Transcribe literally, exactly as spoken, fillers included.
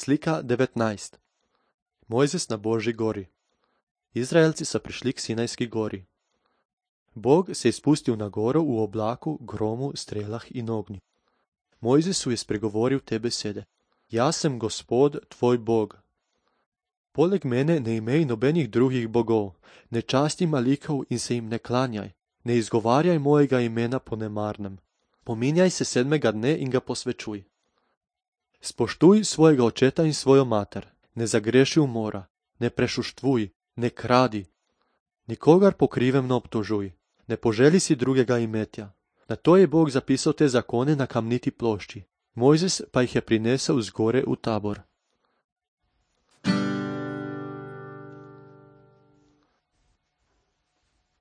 Slika devetnajst. Mojzes na Božji gori. Izraelci so prišli k Sinajski gori. Bog se je spustil na goro v oblaku, gromu, strelah in ognju. Mojzesu je spregovoril te besede. Jaz sem Gospod, tvoj Bog. Poleg mene ne imej nobenih drugih bogov, ne časti malikov in se jim ne klanjaj, ne izgovarjaj mojega imena po nemarnem. Pominjaj se sedmega dne in ga posvečuj. Spoštuj svojega očeta in svojo mater, ne zagreši umora, ne prešuštvuj, ne kradi. Nikogar po krivem ne obtožuj, ne poželi si drugega imetja. Nato je Bog zapisal te zakone na kamniti plošči. Mojzes pa jih je prinesel z gore v Tabor.